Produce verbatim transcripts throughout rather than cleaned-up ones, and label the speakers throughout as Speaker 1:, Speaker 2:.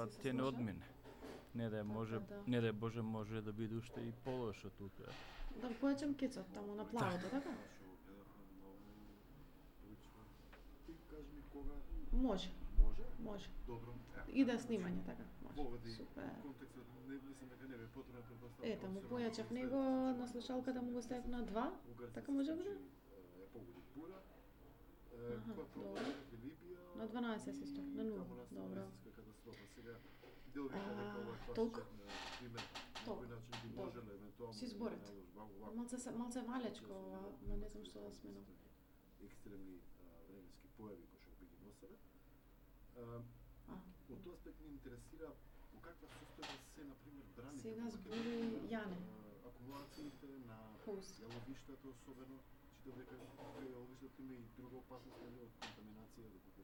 Speaker 1: пат ќе не одмине. Не да може,
Speaker 2: да.
Speaker 1: не да Боже може да биде уште и полошо тука.
Speaker 2: Да појачам кецот таму на плавото, така?
Speaker 3: Ти кажи ми кога
Speaker 2: Може,
Speaker 3: може?
Speaker 2: може.
Speaker 3: Добро.
Speaker 2: И да снимање, така? Може.
Speaker 3: Поведи
Speaker 2: Супер.
Speaker 3: контекстот не мислам дека не бе потребно предпоставка.
Speaker 2: Ето, му појачав него на слушалката, му го ставив на два. Така може да биде?
Speaker 3: Е погоди бура.
Speaker 2: Аха,
Speaker 3: Која
Speaker 2: добро.
Speaker 3: проблем Либија?
Speaker 2: На дванаесет исто, на нула. Добро.
Speaker 3: Катастрофа сега. Дел вика дека ова е
Speaker 2: толку?
Speaker 3: класичен пример. На
Speaker 2: Толку.
Speaker 3: кој начин би
Speaker 2: Добро.
Speaker 3: можеле евентуално
Speaker 2: Си зборот. Малце се малце валечко ова, ма не знам што да сменам.
Speaker 3: Екстремни а, временски појави кои што би ги носеле. А,
Speaker 2: А,
Speaker 3: Од тој аспект ме интересира во каква состојба се на пример браните.
Speaker 2: Сега
Speaker 3: во
Speaker 2: збори
Speaker 3: Македонија,
Speaker 2: Јане.
Speaker 3: а, акумулациите на
Speaker 2: Хост.
Speaker 3: јаловиштата особено, читам дека кај јаловиштата има и друга опасност нели од контаминација доколку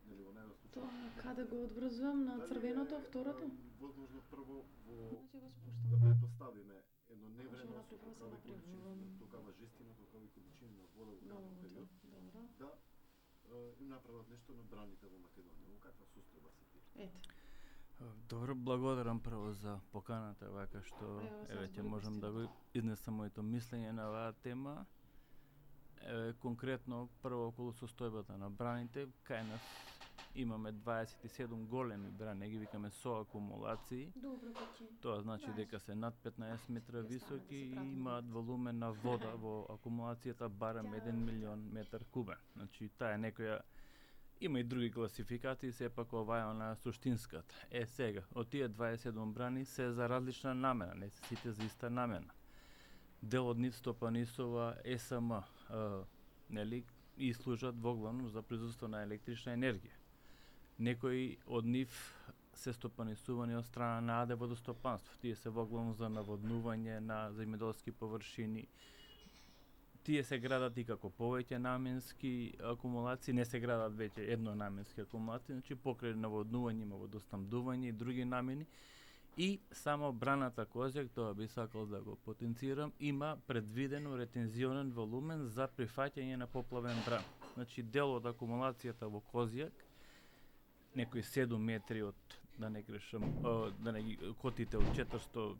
Speaker 3: нели во најдов случај.
Speaker 2: Тоа каде го одврзувам на
Speaker 3: Дали
Speaker 2: црвеното,
Speaker 3: е,
Speaker 2: второто?
Speaker 3: а, Возможно прво во
Speaker 2: Значи го
Speaker 3: да
Speaker 2: спуштам.
Speaker 3: предпоставиме едно
Speaker 2: Може
Speaker 3: невремено
Speaker 2: да
Speaker 3: со
Speaker 2: направам,
Speaker 3: толкава
Speaker 2: да
Speaker 3: количини,
Speaker 2: направам.
Speaker 3: толкава жестина, толкава количини на вода во
Speaker 2: Много
Speaker 3: краток период,
Speaker 2: добро.
Speaker 3: да е, им направат нешто на браните во Македонија. Во каква состојба се тие?
Speaker 2: Ете.
Speaker 1: Добро, благодарам прво за поканата, вака што
Speaker 2: Ево, сега
Speaker 1: еве ќе
Speaker 2: збори
Speaker 1: можам да го изнесам моето мислење на оваа тема. Еве конкретно прво околу состојбата на браните, кај нас имаме дваесет и седум големи брани, ги викаме со акумулации.
Speaker 2: Добро, каќи.
Speaker 1: Тоа значи
Speaker 2: Знаеш.
Speaker 1: дека се над петнаесет метра
Speaker 2: Ја стане да
Speaker 1: високи
Speaker 2: се
Speaker 1: и
Speaker 2: пратиме.
Speaker 1: имаат волумен на вода во акумулацијата барем еден милион метар кубен. Значи таа е некоја. Има и други класификации, сепак ова е она суштинската. Е сега, од тие дваесет и седум брани се за различна намена, не се сите за иста намена. Дел од нив стопанисува Е С М, е, нели, и служат воглавно за производство на електрична енергија. Некои од нив се стопанисувани од страна на АД водостопанство. Тие се воглавно за наводнување на земјоделски површини. Тие се градат и како повеќе наменски акумулации, не се градат веќе еднонаменски акумулации, значи покрај наводнување има водоснабдување и други намени. И само браната Козјак, тоа би сакал да го потенцирам, има предвидено ретензионен волумен за прифаќање на поплавен бран. Значи дел од акумулацијата во Козјак, некои седум метри од, да не грешам, о, да не ги котите од четиристотини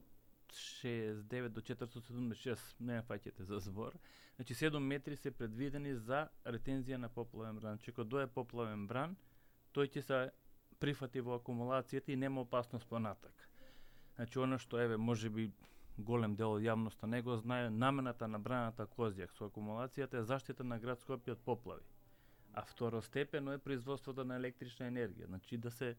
Speaker 1: и шеесет и девет до четиристотини и седумдесет и шест, не ме фаќате за збор. Значи седум метри се предвидени за ретензија на поплавен бран. Че кога дое поплавен бран, тој ќе се прифати во акумулацијата и нема опасност понатак. Значи она што еве можеби голем дел од јавноста не го знае, намената на браната Козјак со акумулацијата е заштита на град Скопје од поплави. А второстепено е производството на електрична енергија. Значи да се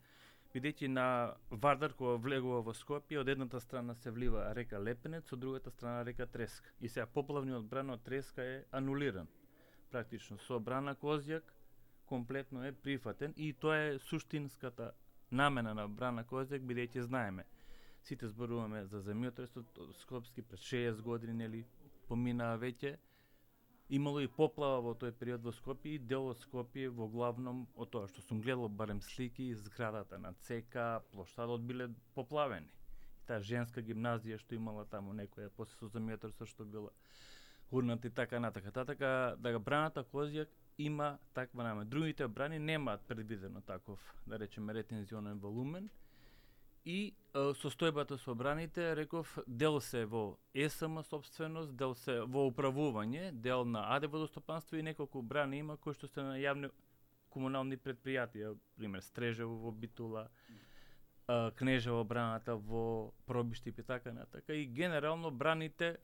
Speaker 1: бидејќи на Вардар кога влегува во Скопје, од едната страна се влива река Лепенец, од другата страна река Треска. И сега поплавниот бран од Треска е анулиран. Практично со брана Козјак комплетно е прифатен и тоа е суштинската намена на брана Козјак, бидејќи знаеме. Сите зборуваме за земјотресот скопски пред шеесет години, нели, поминаа веќе. Имало и поплава во тој период во Скопје и дел од Скопје во главном од тоа што сум гледал барем слики, зградата на ЦК, плоштадот биле поплавени. И таа женска гимназија што имала таму некоја после со земјотресот што била урната и така натака. Татака да браната Козјак има таква намена. Другите брани немаат предвидено таков, да речеме, ретензионен волумен. И е, состојбата со браните, реков, дел се во Е С М собственост, дел се во управување, дел на АД водостопанство и неколку брани има кои што се на јавни комунални предпријатија, пример Стрежево во Битула, е, Кнежево браната во Пробиштип и така натака. И генерално браните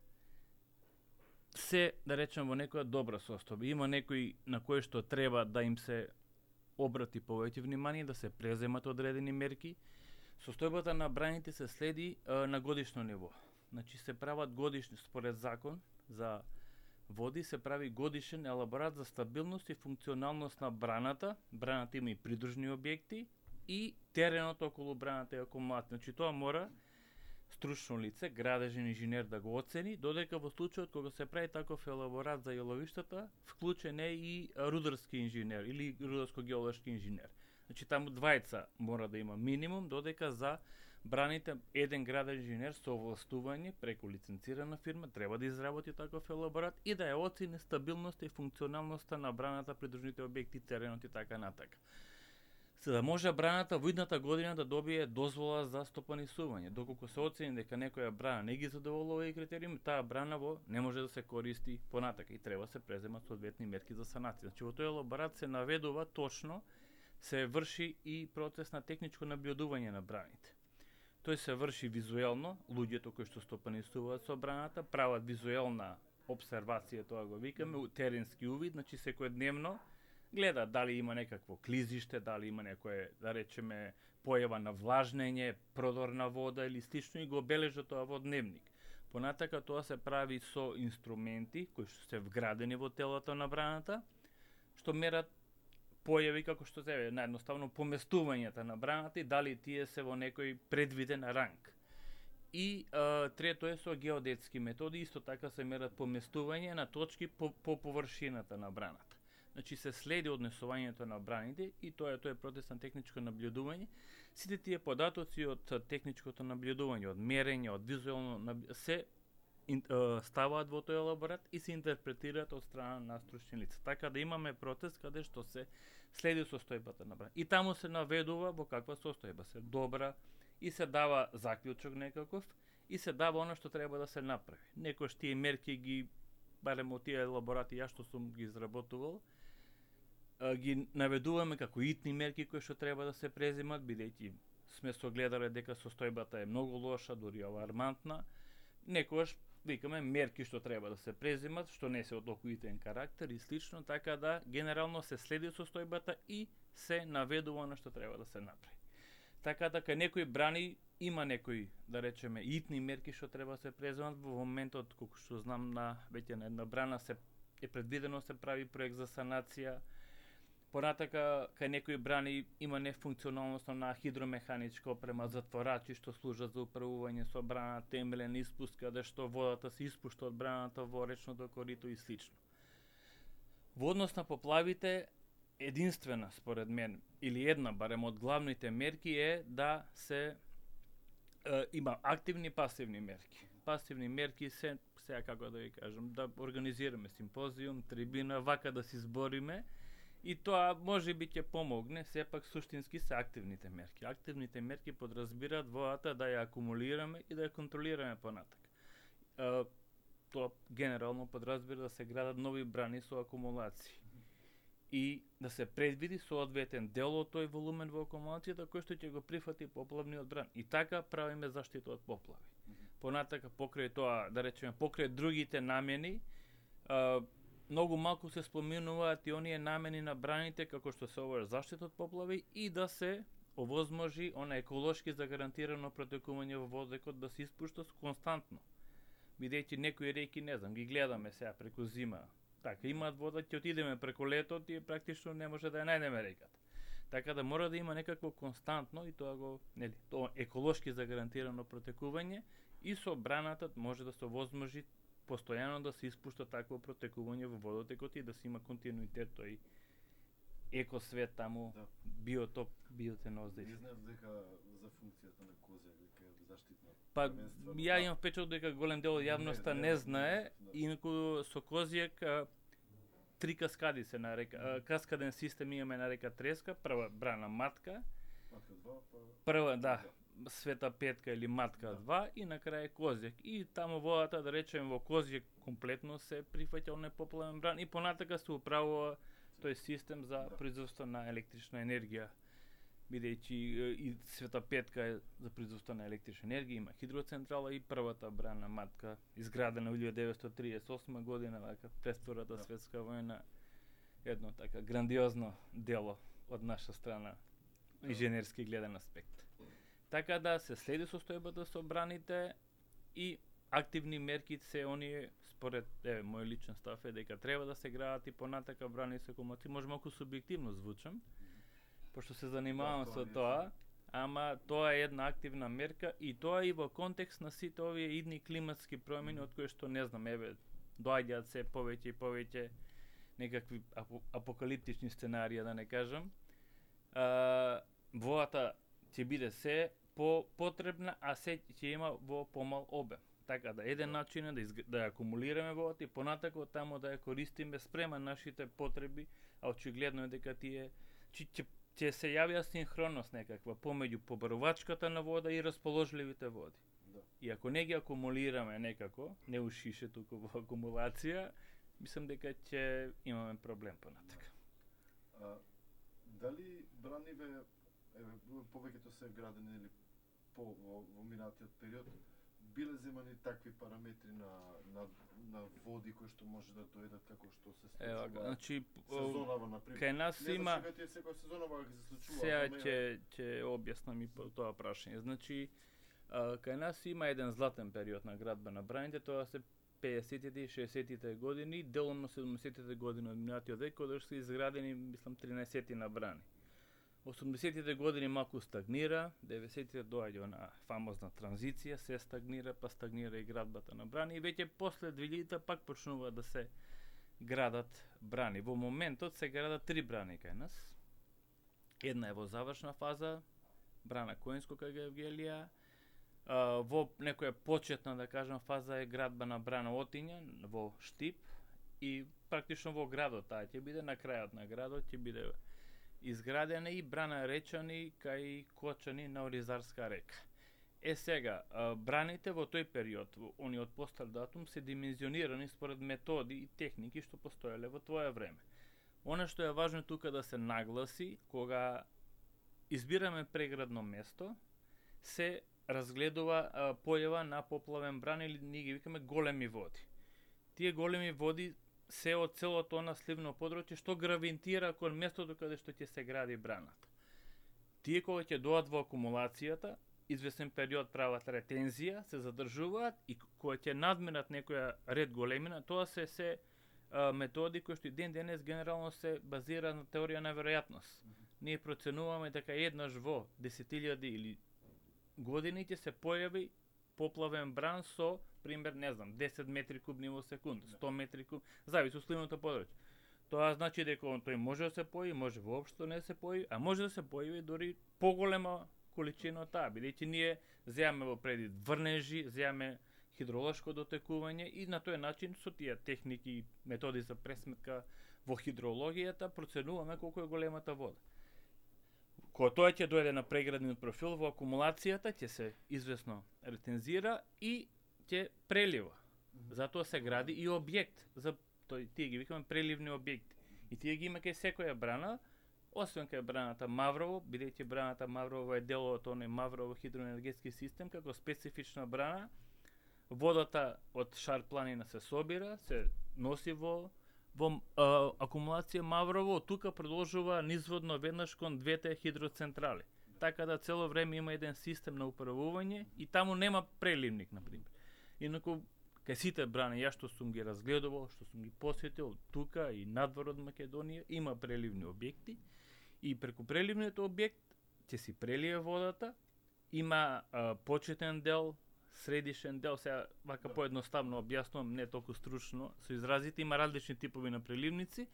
Speaker 1: се, да речем, во некоја добра состојба. Има некои на кои што треба да им се обрати повеќе внимание, да се преземат одредени мерки. Состојбата на браните се следи е, на годишно ниво. Значи се прават годишни, според закон за води, се прави годишен елаборат за стабилност и функционалност на браната. Браната има и придружни објекти и теренот околу браната е акумулатор. Значи тоа мора стручно лице, градежен инженер да го оцени, додека во случајот кога се прави таков елаборат за јаловиштата, вклучен е и рударски инженер или рударско-геолошки инженер. Значи таму двајца мора да има минимум, додека за браните еден граден инженер со овластување преку лиценцирана фирма треба да изработи таков елаборат и да ја оцени стабилноста и функционалноста на браната, придружните објекти, теренот и така натака. за да може браната во идната година да добие дозвола за стопанисување. Доколку се оцени дека некоја брана не ги задоволува и критериуми, таа брана во не може да се користи понатака и треба се преземат соодветни мерки за санација. Значи во тој елаборат се наведува точно, се врши и процес на техничко наблюдување на браните. Тој се врши визуелно, луѓето кои што стопанисуваат со браната прават визуелна обсервација, тоа го викаме, теренски увид, значи секојдневно гледа дали има некакво клизиште, дали има некое, да речеме, појава на влажнење, продор на вода или слично и го обележа тоа во дневник. Понатака тоа се прави со инструменти кои што се вградени во телото на браната, што мерат појави како што се е наедноставно поместувањата на браната и дали тие се во некој предвиден ранг. И а, трето е со геодетски методи, исто така се мерат поместување на точки по, по површината на браната. Значи се следи однесувањето на браните и тоа е тој процес на техничко наблюдување. Сите тие податоци од техничкото наблюдување, од мерење, од визуелно се ин, а, ставаат во тој елаборат и се интерпретираат од страна на стручни лица. Така да имаме процес каде што се следи состојбата на браната. И таму се наведува во каква состојба се добра и се дава заклучок некаков и се дава она што треба да се направи. Некош тие мерки ги, барем од тие елаборати ја што сум ги изработувал, ги наведуваме како итни мерки кои што треба да се преземат, бидејќи сме согледале дека состојбата е многу лоша, дури алармантна. Некојаш викаме мерки што треба да се преземат, што не се од толку итен карактер и слично, така да генерално се следи состојбата и се наведува на што треба да се направи. Така да кај некои брани има некои, да речеме, итни мерки што треба да се преземат во моментот, колку што знам, на веќе на една брана се е предвидено се прави проект за санација. Понатака, кај некои брани има нефункционалност на хидромеханичка опрема, затворачи што служат за управување со брана, темелен испуст, каде што водата се испушта од браната во речното корито и слично. Во однос на поплавите, единствена, според мен, или една, барем од главните мерки е да се е, има активни и пасивни мерки. Пасивни мерки се, сега како да ви кажам, да организираме симпозиум, трибина, вака да си збориме, и тоа може би ќе помогне, сепак суштински се активните мерки. Активните мерки подразбираат водата да ја акумулираме и да ја контролираме понатак. Е, тоа генерално подразбира да се градат нови брани со акумулации и да се предвиди соодветен дел од тој волумен во акумулацијата кој што ќе го прифати поплавниот бран. И така правиме заштита од поплави. Понатака покрај тоа, да речеме, покрај другите намени, е, многу малку се споминуваат и оние намени на браните како што се ова заштита од поплави и да се овозможи она еколошки загарантирано протекување во водекот да се испушта константно. Бидејќи некои реки, не знам, ги гледаме сега преку зима, така имаат вода, ќе отидеме преку летот и практично не може да ја најдеме реката. Така да мора да има некакво константно и тоа го, нели, тоа еколошки загарантирано протекување и со браната може да се овозможи постојано да се испушта такво протекување во водотекот и да се има континуитет тој екосвет таму, да. Биотоп, биоценоза.
Speaker 3: Не знаев дека за функцијата на козија дека е заштитна.
Speaker 1: Па ја имам впечаток дека голем дел од јавноста не, не, не знае, да. Инаку со козјак три каскади се нарека, mm-hmm. каскаден систем имаме на река Треска, прва брана Матка,
Speaker 3: Матка два, па...
Speaker 1: прва, да, Света Петка или Матка два и на крај Козјак. И таму водата, да речеме, во Козјак комплетно се прифаќа оној поплавен бран и понатака се управува тој систем за да. Производство на електрична енергија, бидејќи и Света Петка е за производство на електрична енергија, има хидроцентрала и првата брана Матка, изградена во илјадесетстотини триесет и осма година, вака пред Втората да. Светска војна, едно така грандиозно дело од наша страна, инженерски гледен аспект. Така да се следи состојбата со браните и активни мерки се оние, според еве мој личен став е дека треба да се градат и понатака брани со акумулации. Може малку субјективно звучам, пошто се занимавам да, со тоа, ама тоа е една активна мерка и тоа и во контекст на сите овие идни климатски промени од кои што не знам, еве доаѓаат се повеќе и повеќе некакви апокалиптични сценарија, да не кажам. А, водата ќе биде се по потребна, а се ќе има во помал обем. Така да еден начин е да, изг... да ја акумулираме водата и понатако таму да ја користиме спрема нашите потреби, а очигледно е дека тие ќе ќе се јавија синхронност некаква помеѓу побарувачката на вода и расположливите води.
Speaker 3: Да.
Speaker 1: И ако не ги акумулираме некако, не ушише туку во акумулација, мислам дека ќе имаме проблем понатака.
Speaker 3: А, дали браниве, еве, повеќето се градени или по во, во минатиот период, биле земани такви параметри на, на, на води кои што може да дојдат како што се случува?
Speaker 1: Ева, значи,
Speaker 3: сезонава, например.
Speaker 1: кај нас
Speaker 3: не
Speaker 1: има...
Speaker 3: Не знам секоја сезонава ќе се случува.
Speaker 1: Сега
Speaker 3: ама
Speaker 1: ќе ќе објаснам и по тоа прашање. Значи, а, кај нас има еден златен период на градба на браните, тоа се пеесеттите и шеесеттите години, деломно седумдесеттите години од минатиот век, кога се изградени, мислам, тринаесет на брани. осумдесеттите години малку стагнира, деветдесеттите доаѓа на фамозна транзиција, се стагнира, па стагнира и градбата на брани и веќе после двилјадите пак почнува да се градат брани. Во моментот се градат три брани кај нас. Една е во завршна фаза, брана Коинско кај Евгелија, во некоја почетна, да кажам, фаза е градба на брана Отиња во Штип и практично во градот таа ќе биде на крајот на градот ќе биде изградена и брана Речани кај Кочани на Оризарска река. Е сега, браните во тој период, во ониот постар датум, се димензионирани според методи и техники што постоеле во твое време. Она што е важно тука да се нагласи, кога избираме преградно место, се разгледува а, појава на поплавен бран или ние ги викаме големи води. Тие големи води се од целото она сливно подручје што гравитира кон местото каде што ќе се гради браната. Тие кога ќе дојдат во акумулацијата, известен период прават ретензија, се задржуваат и кога ќе надминат некоја ред големина, тоа се се а, методи кои што и ден денес генерално се базира на теорија на веројатност. Mm -hmm. Ние проценуваме дека еднаш во десетилјади или години ќе се појави поплавен бран со пример, не знам, десет метри кубни во секунда, сто метри кубни, зависи од сливното подручје. Тоа значи дека тој може да се појави, може воопшто не се појави, а може да се појави дури поголема количина од таа, бидејќи ние земаме во предвид врнежи, земаме хидролошко дотекување и на тој начин со тие техники и методи за пресметка во хидрологијата проценуваме колку е големата вода. Кога тоа ќе дојде на преградниот профил во акумулацијата ќе се извесно ретензира и ќе прелива. Затоа се гради и објект за тој тие ги викаме преливни објекти. И тие ги има кај секоја брана, освен кај браната Маврово, бидејќи браната Маврово е дел од оној Маврово хидроенергетски систем како специфична брана. Водата од Шар планина се собира, се носи во во а, акумулација Маврово, од тука продолжува низводно веднаш кон двете хидроцентрали. Така да цело време има еден систем на управување и таму нема преливник, например. Инаку кај сите брани, ја што сум ги разгледувал, што сум ги посетил тука и надвор од Македонија, има преливни објекти и преку преливниот објект ќе си прелие водата, има а, почетен дел, средишен дел, сега вака да. Поедноставно објаснувам, не толку стручно, со изразите, има различни типови на преливници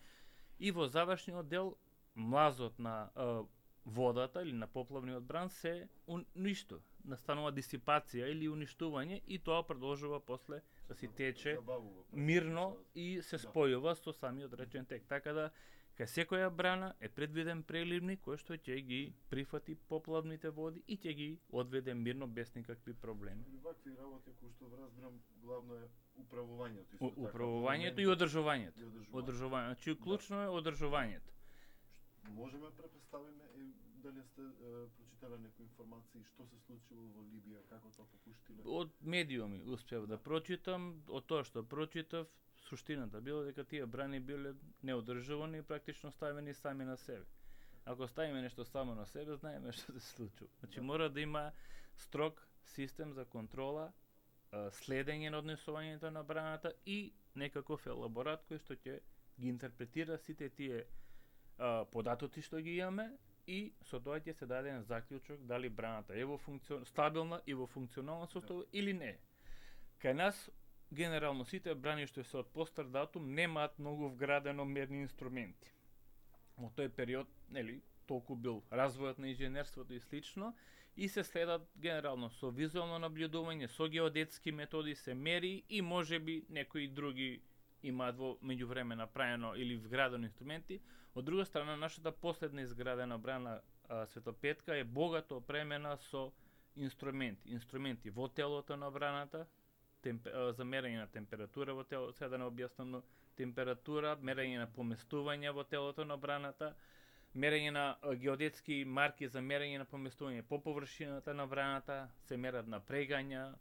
Speaker 1: и во завршниот дел млазот на а, водата или на поплавниот бран се уништува, настанува дисипација или уништување и тоа продолжува после да си тече мирно и се спојува со самиот речен тек. Така да кај секоја брана е предвиден преливник кој што ќе ги прифати поплавните води и ќе ги одведе мирно без никакви проблеми.
Speaker 3: И вакви работи кои што разбирам главно е управувањето
Speaker 1: исто така. Управувањето и одржувањето. Одржувањето, значи клучно е одржувањето.
Speaker 3: Можеме да претставиме дали сте е, прочитале некои информации што се случило во Либија, како тоа попуштиле?
Speaker 1: Од медиуми успев да прочитам, од тоа што прочитав, суштината било дека тие брани биле неодржувани и практично ставени сами на себе. Ако ставиме нешто само на себе, знаеме што се случува. Значи да. Мора да има строг систем за контрола, следење на однесувањето на браната и некаков елаборат кој што ќе ги интерпретира сите тие а, податоци што ги имаме и со тоа ќе се даде заклучок дали браната е во функцион... стабилна и во функционална состојба да. Или не. Кај нас генерално сите брани што се од постар датум немаат многу вградено мерни инструменти. Во тој период, нели, толку бил развојот на инженерството и слично и се следат генерално со визуално наблюдување, со геодетски методи се мери и можеби некои други имаат во меѓувреме направено или вградени инструменти. Од друга страна, нашата последна изградена брана а, Свето Петка е богато опремена со инструменти. Инструменти во телото на браната, темп, а, за мерење на температура во телото, сега да не објаснам, но температура, мерење на поместување во телото на браната, мерење на а, геодетски марки за мерење на поместување по површината на браната, се мерат напрегања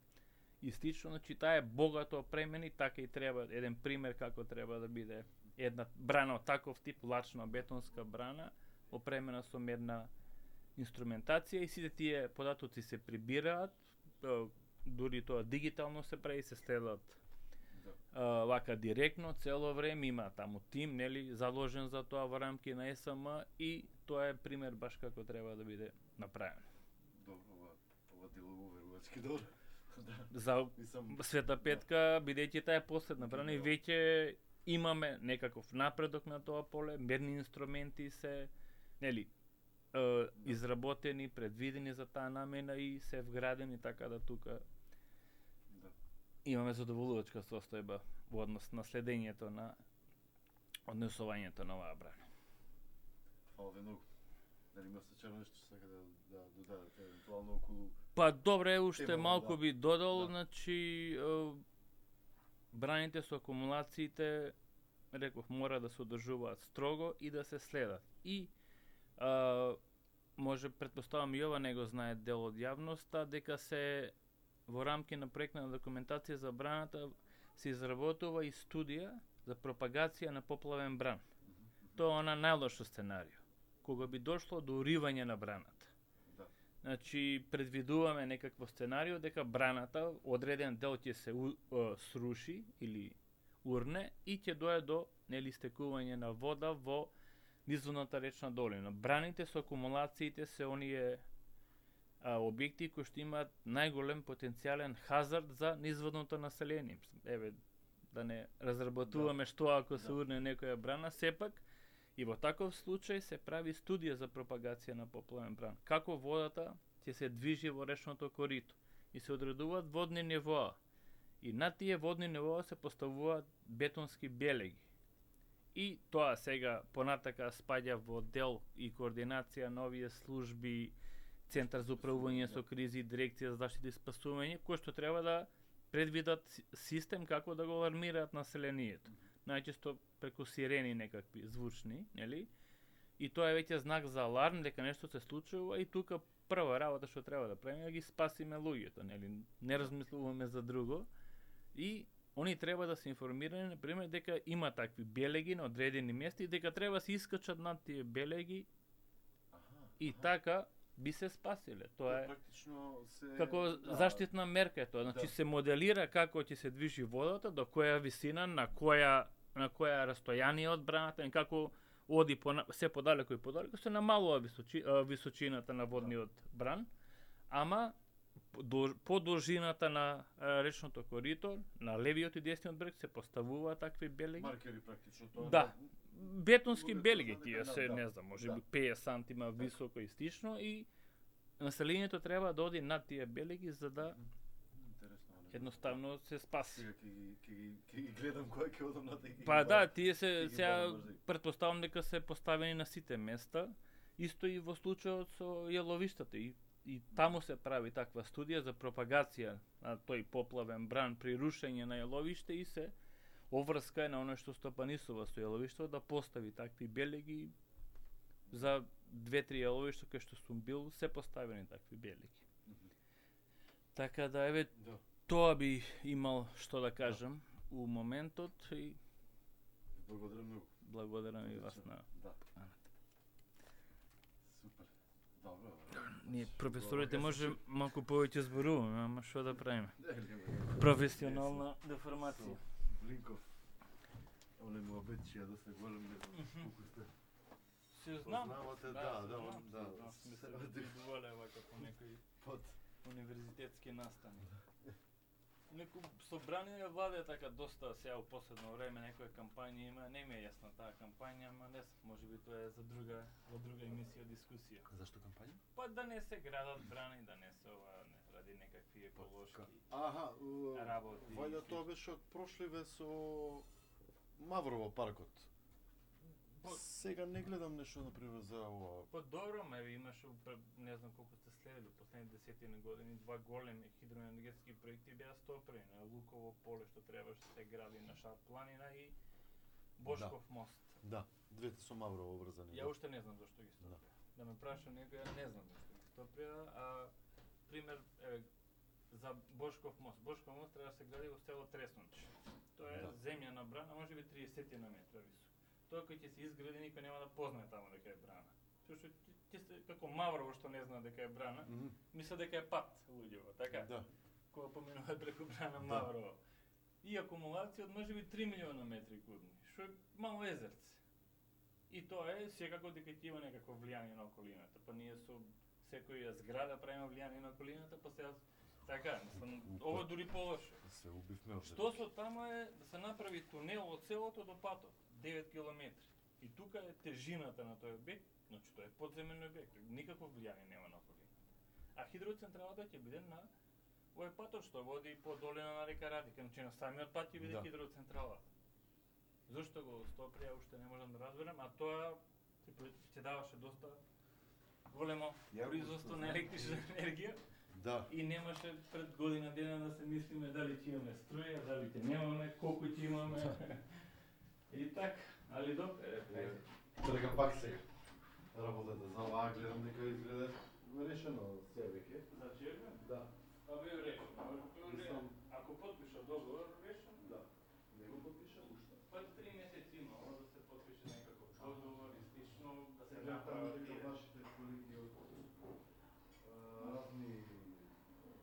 Speaker 1: и слично, значи таа е богато опремена и така и треба, еден пример како треба да биде една брана од таков тип, лачна бетонска брана, опремена со медна инструментација и сите тие податоци се прибираат, дури тоа дигитално се прави, се следат да. Вака директно цело време, има таму тим, нели, заложен за тоа во рамки на Ес Ем М и тоа е пример баш како треба да биде направено.
Speaker 3: Добро, ова, ова делово верувачки добро.
Speaker 1: Да. За Мисам... Света Петка, бидејќи таа е последна брана и веќе имаме некаков напредок на тоа поле, мерни инструменти се, нели, е, изработени, предвидени за таа намена и се вградени, така да тука да. Имаме задоволувачка состојба во однос на следењето на однесувањето на оваа брана.
Speaker 3: Фала ви многу. Дали има сечено нешто што сака да, да додадете евентуално околу...
Speaker 1: Па добре, уште Тема, малку
Speaker 3: да.
Speaker 1: би додал,
Speaker 3: Да.
Speaker 1: значи е, браните со акумулациите, реков, мора да се одржуваат строго и да се следат. И а, може, предпоставам и ова не го знае дел од јавноста, дека се во рамки на проектна документација за браната се изработува и студија за пропагација на поплавен бран. Тоа е она најлошо сценарио, кога би дошло до уривање на браната.
Speaker 3: Да.
Speaker 1: Значи, предвидуваме некакво сценарио дека браната, одреден дел ќе се у, е, сруши или урне и ќе дое до нели стекување на вода во низводната речна долина. Браните со акумулациите се оние а, објекти кои што имаат најголем потенцијален хазард за низводното население. Еве, да не разработуваме да. Што ако се да. Урне некоја брана, сепак и во таков случај се прави студија за пропагација на поплавен бран. Како водата ќе се движи во речното корито и се одредуваат водни нивоа. И на тие водни нивоа се поставуваат бетонски белеги. И тоа сега понатака спаѓа во дел и координација на овие служби, Центар за управување со кризи, Дирекција за заштита и спасување, кои што треба да предвидат систем како да го алармираат населението. Најчесто преку сирени некакви звучни, нели? И тоа е веќе знак за аларм дека нешто се случува и тука прва работа што треба да правиме е да ги спасиме луѓето, нели? Не размислуваме за друго. И они треба да се информирани, например, дека има такви белеги на одредени места и дека треба се искачат над тие белеги аха, и аха. Така би се спасиле. Тоа е
Speaker 3: практично се
Speaker 1: како
Speaker 3: да.
Speaker 1: Заштитна мерка е тоа. Значи да. Се моделира како ќе се движи водата, до која висина, на која на која растојание од браната, и како оди по, се подалеку и подалеку, се намалува височи, височината на водниот бран, ама по должината на речното корито, на левиот и десниот брег се поставуваат такви белеги.
Speaker 3: Маркери практично тоа.
Speaker 1: Да. Бетонски белеги тие
Speaker 3: да,
Speaker 1: се,
Speaker 3: да,
Speaker 1: не знам, може би
Speaker 3: да.
Speaker 1: петдесет сантима високо и стично и населението треба да оди над тие белеги за да
Speaker 3: интересно,
Speaker 1: едноставно се спаси.
Speaker 3: Сега ќе ги ќе ги ќе ги гледам кој ќе одам на тие.
Speaker 1: Па да, тие се сега претпоставам дека се поставени на сите места, исто и во случајот со јеловиштата и и таму се прави таква студија за пропагација на тој поплавен бран при рушење на јеловиште и се оврска е на оно што стопанисува со јеловиште да постави такви белеги за две-три јеловишта кај што сум бил се поставени такви белеги. Mm -hmm. Така да еве да. Тоа би имал што да кажам да. У моментот и
Speaker 3: благодарам многу.
Speaker 1: Благодарам и вас на
Speaker 3: да. Супер. Добро.
Speaker 1: Ние професорите може малку повеќе зборуваме, ама што да правиме? Професионална деформација.
Speaker 3: Блинков. Оле му обечија да се голем не знам колку сте.
Speaker 1: Се знам.
Speaker 3: Познавате, да, да, он да.
Speaker 1: Сме се видувале вака по некои
Speaker 3: под
Speaker 1: универзитетски настани. Неку собрание владе така доста сега во последно време некоја кампања има, не ми е јасна таа кампања, ама не знам, можеби тоа е за друга во друга емисија дискусија.
Speaker 3: Зашто кампања?
Speaker 1: Па да не се градат брани, да не се ова не ради некакви еколошки
Speaker 3: Аха,
Speaker 1: работи.
Speaker 3: вајда тоа беше од прошливе со Маврово паркот.
Speaker 1: По-
Speaker 3: Сега не гледам нешто например за ова.
Speaker 1: Па добро, ме имаше, пр- не знам колку сте следили, последните десетина години, два големи хидроенергетски проекти беа стопрени на Луково поле, што требаше да се гради на Шар планина и Бошков мост.
Speaker 3: Да, двете со Маврово врзани.
Speaker 1: Ја
Speaker 3: да.
Speaker 1: уште не знам зашто ги стоприја. Да. да ме праша некој, ја не знам зашто ги стоприја, а пример, еве, за Бошков мост. Бошков мост треба да се гради во село Тресночи. Тоа е
Speaker 3: Да.
Speaker 1: земјана брана, може би триесет на метра висок. Тоа кој ќе се изгради, никој нема да познае таму дека е брана. Тоа што ти, ти се, како Маврово што не знае дека е брана,
Speaker 3: Мгм.
Speaker 1: мисля дека е пат луѓево, така?
Speaker 3: Да.
Speaker 1: Кога поминуваат преку брана
Speaker 3: Да.
Speaker 1: Маврово. И акумулација од можеби три милиона метри кубни, што е мало езерце. И тоа е секако дека ќе има некакво влијание на околината. Па ние со секоја зграда правиме влијание на околината, па сега така, мислам, ово е дури полошо.
Speaker 3: Се убивме овде.
Speaker 1: Што со таму е да се направи тунел од селото до патот, девет километри. И тука е тежината на тој објект, значи тоа е подземен објект, никакво влијание нема на околината. А хидроцентралата ќе биде на овој патот што води по долина на река Радика, значи на самиот пат ќе биде
Speaker 3: Да.
Speaker 1: хидроцентралата. Зошто го стоприја, уште не можам да разберам, а тоа ќе пр- ќе даваше доста големо
Speaker 3: Ја го
Speaker 1: производство на
Speaker 3: знам.
Speaker 1: електрична енергија.
Speaker 3: Да.
Speaker 1: И немаше пред година дена да се мислиме дали ќе имаме струја, дали ќе немаме, колку ќе имаме. И така, али добро, е, ајде.
Speaker 3: Трга пак сега. Работата за оваа гледам дека изгледа решено се веќе.
Speaker 1: Значи, е,
Speaker 3: Да.
Speaker 1: па бе решено.
Speaker 3: Мислам-
Speaker 1: Ако потпиша договор, решено.
Speaker 3: Да. Не го подпиша уште.
Speaker 1: Па три месеци има да се потпише некаков договор и слично, да се
Speaker 3: Сега
Speaker 1: направи.
Speaker 3: таму дека вашите колеги од а, разни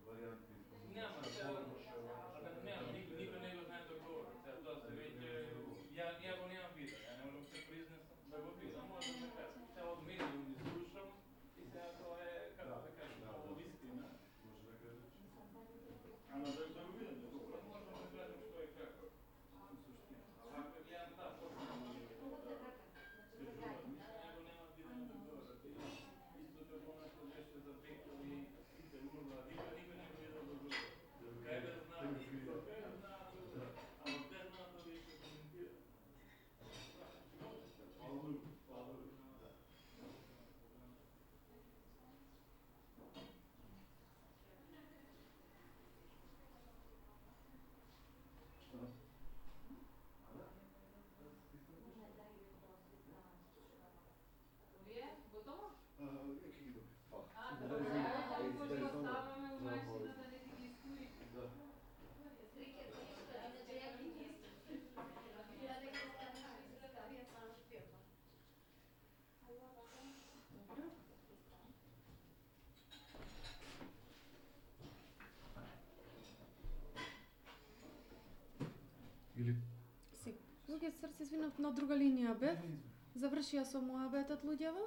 Speaker 3: варијанти
Speaker 1: Нема, сега, абе, нема, никој никој не го знае договор. Сега тоа се веќе, ја ја го немам видео, ја не можам да се признесам да го видам, може да ме кажам. Сега од медиум ги слушам и сега тоа е, како да кажам, ovo вистина.
Speaker 3: може да кажеш.
Speaker 1: Ама да да го видам, договор, можам да кажам што е како. У суштина. Ако ја да, почнам да ги стежувам, ја го немам видено договорот. Исто како она што беше за Беков и сите урла, никој никој не го видел договорот. Кај бе знаат, кај бе знаат, ама те знаат да ви се коментира.
Speaker 2: Вие готово?
Speaker 3: А, ќе ги добив. Фала.
Speaker 2: А, добро. Ајде, може да ставаме у машина да не ти ги истури.
Speaker 3: Да. Или
Speaker 2: Си. Луѓе, срце, извинав, на друга линија бев. Завршија со моабетот луѓево.